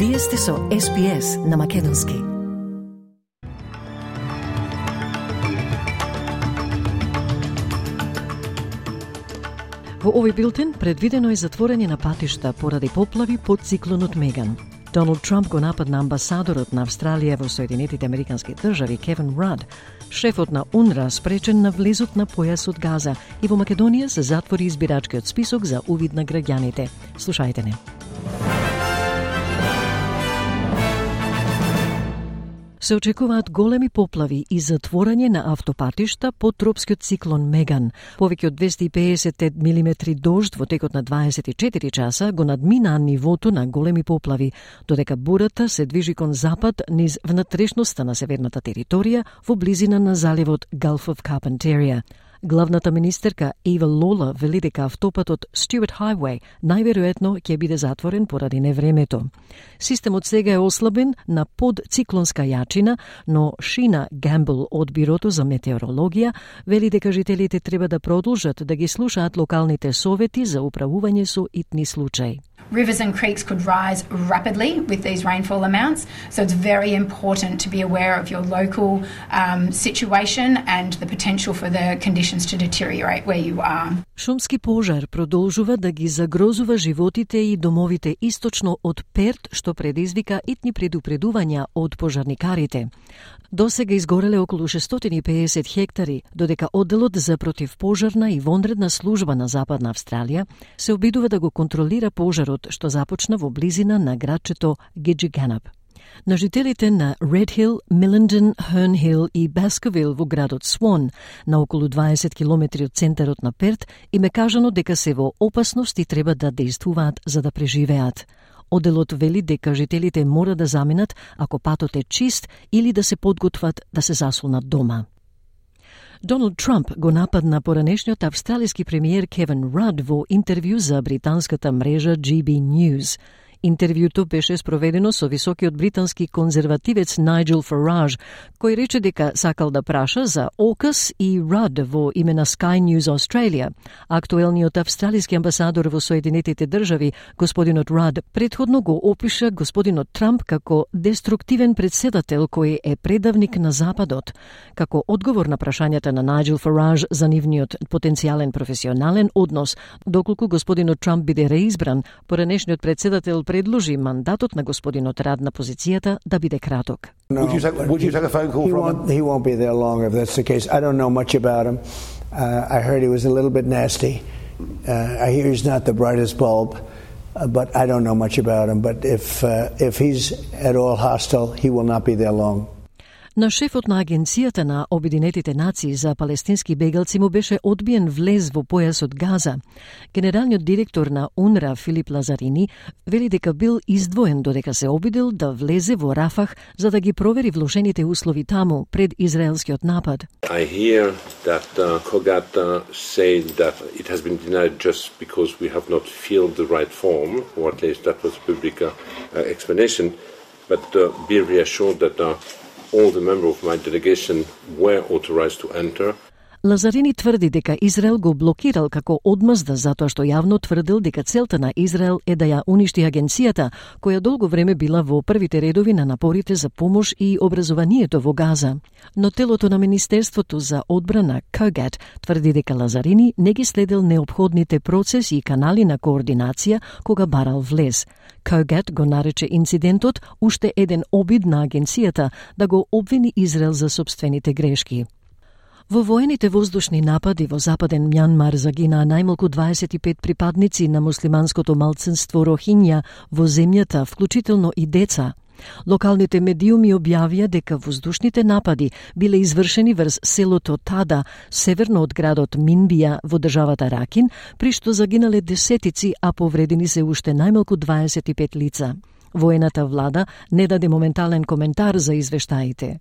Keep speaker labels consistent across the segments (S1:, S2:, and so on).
S1: Вие сте со SPS на македонски. Во овој билтен предвидено е затворање на патишта поради поплави под циклонот Меган. Доналд Трамп го нападна амбасадорот на Австралија во Соединетите Американски држави Кевин Рад. Шефот на УНРВА спречен на влезот на појасот Газа и во Македонија се затвори избирачкиот список за увид на граѓаните. Слушајте не. Се очекуваат големи поплави и затворање на автопатишта под тропскиот циклон Меган. Повеќе од 250 милиметри дожд во текот на 24 часа го надминаа нивото на големи поплави, додека бурата се движи кон запад низ внатрешноста на северната територија во близина на заливот Gulf of Carpentaria. Главната министерка Eva Lawler вели дека автопатот Stewart Highway најверојатно ќе биде затворен поради невремето. Системот сега е ослабен на подциклонска јачина, но Шина Гамбл од Бирото за метеорологија вели дека жителите треба да продолжат да ги слушаат локалните совети за управување со итни случаи.
S2: Rivers and creeks could rise rapidly with these rainfall amounts, so it's very important to be aware of your local situation and the potential for the conditions to deteriorate where you are.
S1: Шумски пожар продолжува да ги загрозува животите и домовите источно од Перт, што предизвика итни предупредувања од пожарникарите. Досега изгореле околу 650 хектари, додека одделот за противпожарна и вонредна служба на Западна Австралија се обидува да го контролира пожарот што започна во близина на градчето Gidgegannup. На жителите на Red Hill, Millenden, Herne Hill и Baskerville во градот Swan, на околу 20 километри од центарот на Перт, им е кажано дека се во опасност и треба да действуваат за да преживеат. Одделот вели дека жителите мора да заминат ако патот е чист или да се подготват да се засолнат дома. Доналд Трамп го нападна поранешниот австралиски премиер Кевин Рад во интервју за британската мрежа GB News. Интервјуто беше спроведено со високиот британски конзервативец Найджел Фараж, кој рече дека сакал да праша за AUKUS и Рад во име на Sky News Australia. Актуелниот австралиски амбасадор во Соединетите држави, господинот Рад, предходно го опиша господинот Трамп како деструктивен председател кој е предавник на Западот. Како одговор на прашањата на Найджел Фараж за нивниот потенцијален професионален однос, доколку господинот Трамп биде реизбран, поранешниот председател предложи мандатот на господинот Рад на позицијата да биде краток.
S3: Would you take a phone call from him?
S4: He won't be there long if that's the case. I don't know much about him. I heard he was a little bit nasty. I hear he's not the brightest bulb, but I don't know much about him. But if he's at all hostile, he will not be there long.
S1: На шефот на Агенцијата на Обединетите нации за палестински бегалци му беше одбиен влез во појасот Газа. Генералниот директор на УНРВА Филип Лазарини вели дека бил издвоен додека се обидел да влезе во Рафах за да ги провери вложените услови таму пред израелскиот напад.
S5: I hear that COGAT said that it has been denied just because we have not filled the right form, or at least that was a public explanation, but be reassured that all the members of my delegation were authorized to enter.
S1: Лазарини тврди дека Израел го блокирал како одмазда затоа што јавно тврдил дека целта на Израел е да ја уништи агенцијата, која долго време била во првите редови на напорите за помош и образованието во Газа. Но телото на Министерството за одбрана COGAT тврди дека Лазарини не ги следил неопходните процеси и канали на координација кога барал влез. COGAT го нарече инцидентот уште еден обид на агенцијата да го обвини Израел за сопствените грешки. Во воените воздушни напади во западен Мјанмар загинаа најмалку 25 припадници на муслиманското малцинство Рохиња во земјата, вклучително и деца. Локалните медиуми објавија дека воздушните напади биле извршени врз селото Тада, северно од градот Минбија во државата Ракин, при што загинале десетици, а повредени се уште најмалку 25 лица. Воената влада не даде моментален коментар за извештаите.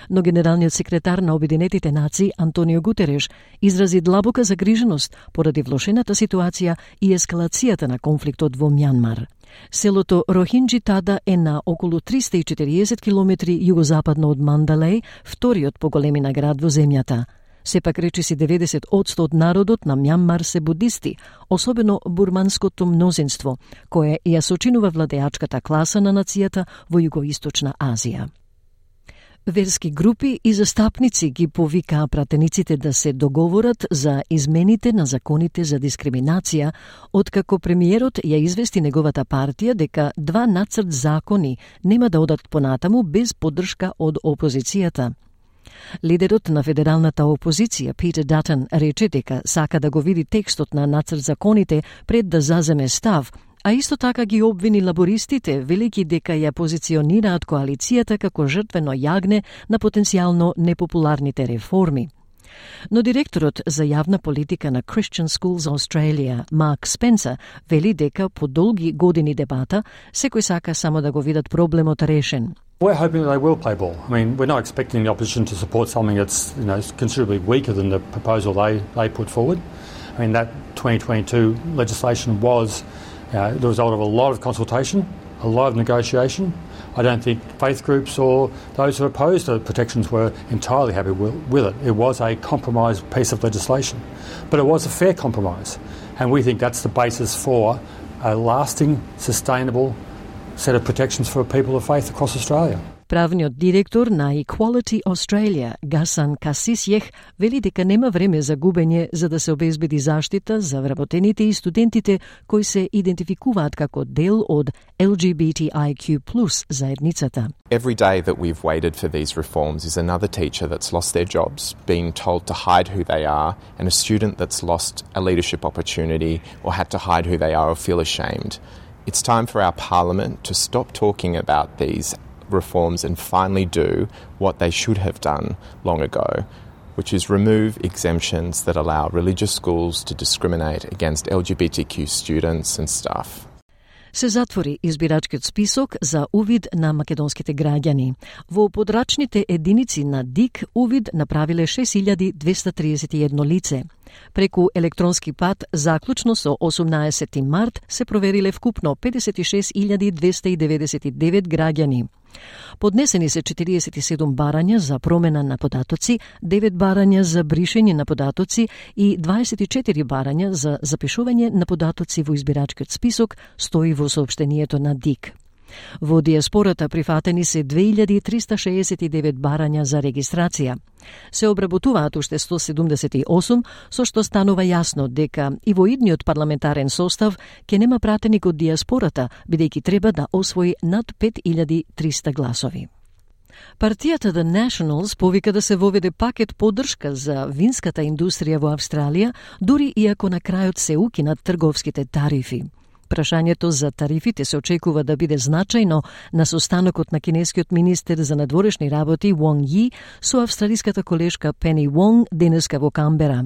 S1: Но генералниот секретар на Обединетите нации Антонио Гутереш изрази длабока загриженост поради влошената ситуација и ескалацијата на конфликтот во Мјанмар. Селото Рохинџи Тада е на околу 340 километри југозападно од Мандалеј, вториот по големина град во земјата. Сепак речиси 90% од народот на Мјанмар се будисти, особено бурманското мнозинство, кое ја сочинува владеачката класа на нацијата во Југоисточна Азија. Верски групи и застапници ги повикаа пратениците да се договорат за измените на законите за дискриминација, откако премиерот ја извести неговата партија дека 2 нацрт закони нема да одат понатаму без поддршка од опозицијата. Лидерот на федералната опозиција, Питер Датон, рече дека сака да го види текстот на нацрт законите пред да заземе став, а исто така ги обвини лабористите, велики дека ја позиционираат коалицијата како жртвено јагне на потенцијално непопуларните реформи. Но директорот за јавна политика на Christian Schools Australia, Mark Spencer, вели дека по долги години дебата, секој сака само да го видат проблемот решен.
S6: We're hoping that they will play ball. I mean, we're not expecting the opposition to support something that's, considerably weaker than the proposal they put forward. I mean, that 2022 legislation was the result of a lot of consultation, a lot of negotiation. I don't think faith groups or those who opposed the protections were entirely happy with it. It was a compromise piece of legislation, but it was a fair compromise, and we think that's the basis for a lasting, sustainable set of protections for people of faith across Australia.
S1: Правниот директор на Equality Australia, Гасан Касисјех, вели дека нема време за губење за да се обезбеди заштита за вработените и студентите кои се идентификуваат како дел од LGBTIQ+ заедницата.
S7: Every day that we've waited for these reforms is another teacher that's lost their jobs, being told to hide who they are, and a student that's lost a leadership opportunity or had to hide who they are or feel ashamed. It's time for our parliament to stop talking about these reforms and finally do what they should have done long ago, which is remove exemptions that allow religious schools to discriminate against LGBTQ students and staff.
S1: Се затвори избирачкиот список за увид на македонските граѓани. Во подрачните единици на ДИК увид направиле 6231 лице. Преку електронски пат, заклучно со 18 март, се провериле вкупно 56299 граѓани. Поднесени се 47 барања за промена на податоци, 9 барања за бришење на податоци и 24 барања за запишување на податоци во избирачкиот список, стои во соопштението на ДИК. Во диаспората прифатени се 2369 барања за регистрација. Се обработуваат уште 178, со што станува јасно дека и во идниот парламентарен состав ќе нема пратеник од диаспората, бидејќи треба да освои над 5300 гласови. Партијата The Nationals повика да се воведе пакет поддршка за винската индустрија во Австралија, дури иако на крајот се укинат трговските тарифи. Прашањето за тарифите се очекува да биде значајно на состанокот на кинескиот министер за надворешни работи Вонг Ји со австралиската колешка Пени Вонг денеска во Камбера.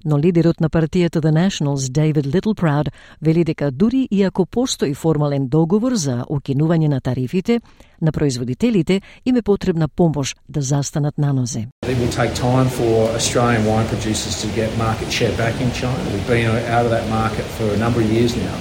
S1: Но лидерот на партијата The Nationals, David Littleproud, вели дека дури иако постои формален договор за укинување на тарифите, на производителите им е потребна помош да застанат на нозе.
S8: It will take time for Australian wine producers to get market share back in China. We've been out of that market for a number of years now.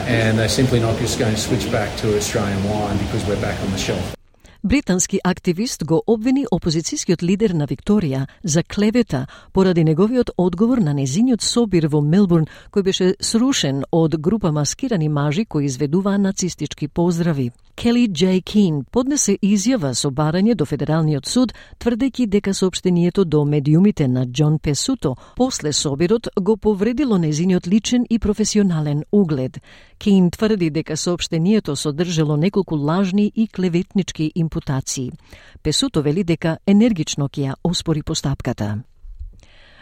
S8: And they're simply not just going to switch back to Australian wine because we're back on the shelf.
S1: Британски активист го обвини опозицијскиот лидер на Викторија за клевета поради неговиот одговор на незиниот собир во Мелбурн, кој беше срушен од група маскирани мажи кои изведуваа нацистички поздрави. Келли J. Keane поднесе изјава со барање до Федералниот суд, тврдејќи дека соопштението до медиумите на Џон Песуто после собирот го повредило незиниот личен и професионален углед. Keane тврди дека соопштението содржало неколку лажни и клеветнички импутации. Песуто вели дека енергично ќе ја оспори постапката.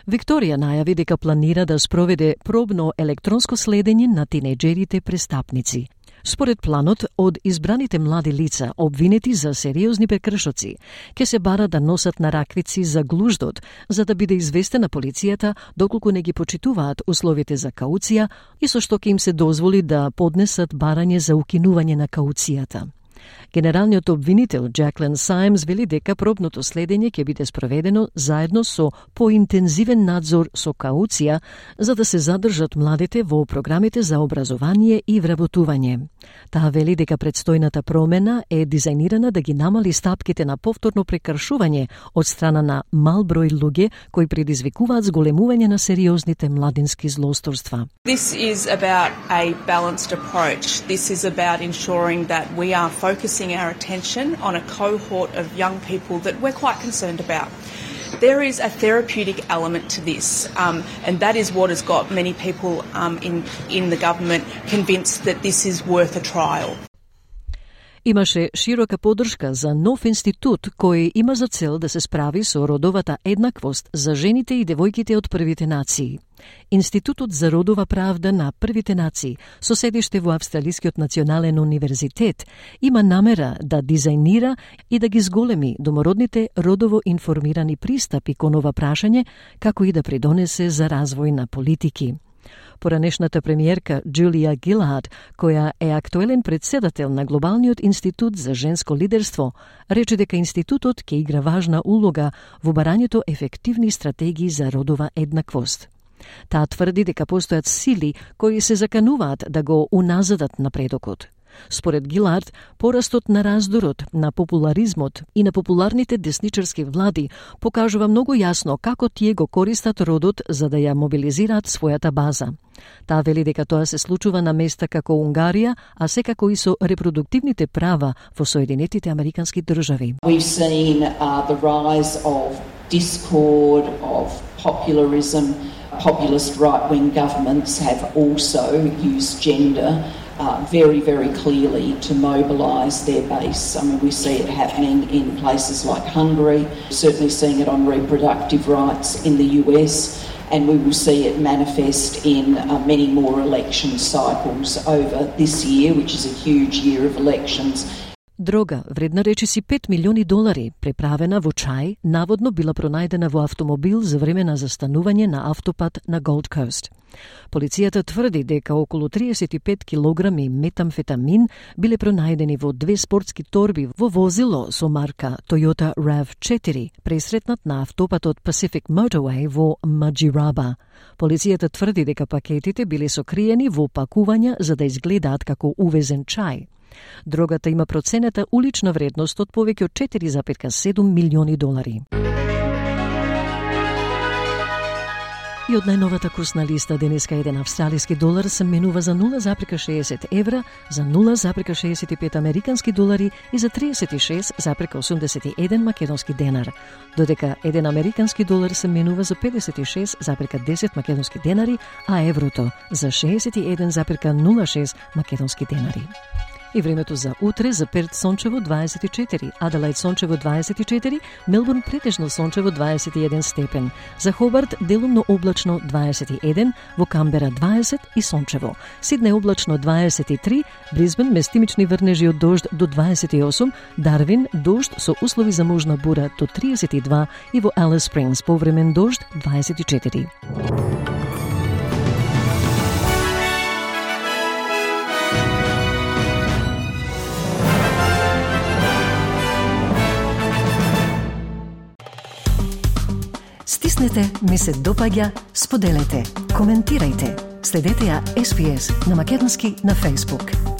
S1: Викторија најави дека планира да спроведе пробно електронско следење на тинејџерите престапници. Според планот, од избраните млади лица, обвинети за сериозни прекршоци, ќе се бара да носат нараквици за глуждот, за да биде известена полицијата доколку не ги почитуваат условите за кауција и со што ќе им се дозволи да поднесат барање за укинување на кауцијата. Генералниот обвинител Джаклин Сајмс вели дека пробното следење ќе биде спроведено заедно со поинтензивен надзор со кауција за да се задржат младите во програмите за образование и вработување. Таа вели дека предстојната промена е дизајнирана да ги намали стапките на повторно прекршување од страна на мал број луѓе кои предизвикуваат зголемување на сериозните младински злосторства.
S9: This is about a balanced approach. This is about ensuring that we are focusing our attention on a cohort of young people that we're quite concerned about. There is a therapeutic element to this, and that is what has got many people in the government convinced that this is worth a trial.
S1: Имаше широка поддршка за нов институт кој има за цел да се справи со родовата еднаквост за жените и девојките од првите нации. Институтот за родова правда на првите нации, со седиште во Австралискиот национален универзитет, има намера да дизајнира и да ги зголеми домородните родово информирани пристапи кон ова прашање, како и да придонесе за развој на политики. Поранешната премиерка Джулија Гилард, која е актуелен председател на Глобалниот институт за женско лидерство, рече дека институтот ќе игра важна улога во барањето ефективни стратегии за родова еднаквост. Таа тврди дека постојат сили кои се закануваат да го уназадат напредокот. Според Гилард, порастот на раздорот, на популаризмот и на популарните десничарски влади покажува многу јасно како тие го користат родот за да ја мобилизираат својата база. Таа вели дека тоа се случува на места како Унгарија, а секако и со репродуктивните права во Соединетите Американски држави.
S10: We've seen the rise of discord, of popularism. Populist right-wing governments have also used gender very, very clearly to mobilise their base. I mean, we see it happening in places like Hungary, certainly seeing it on reproductive rights in the US, and we will see it manifest in many more election cycles over this year, which is a huge year of elections.
S1: Дрога, вредна речиси $5 милиони, преправена во чај, наводно била пронајдена во автомобил за време на застанување на автопат на Голд Кост. Полицијата тврди дека околу 35 килограми метамфетамин биле пронајдени во 2 спортски торби во возило со марка Toyota RAV4, пресретнат на автопатот Pacific Motorway во Маџираба. Полицијата тврди дека пакетите биле сокриени во пакувања за да изгледаат како увезен чај. Дрогата има проценета улична вредност од повеќе од $4,7 милиони. И од најновата курсна листа денеска еден австралиски долар се менува за 0,60 евра, за 0,65 американски долари и за 36,81 македонски денар, додека еден американски долар се менува за 56,10 македонски денари, а еврото за 61,06 македонски денари. И времето за утре: за Перт сончево 24, Аделаид сончево 24, Мелбурн претежно сончево 21 степен, за Хобарт делумно облачно 21, во Камбера 20 и сончево, Сиднеј облачно 23, Брисбен местимични врнежи од дожд до 28, Дарвин дожд со услови за можна бура до 32 и во Алис Спрингс повремен дожд 24. Стиснете, ми се допаѓа, споделете, коментирајте. Следете ја SPS на македонски на Facebook.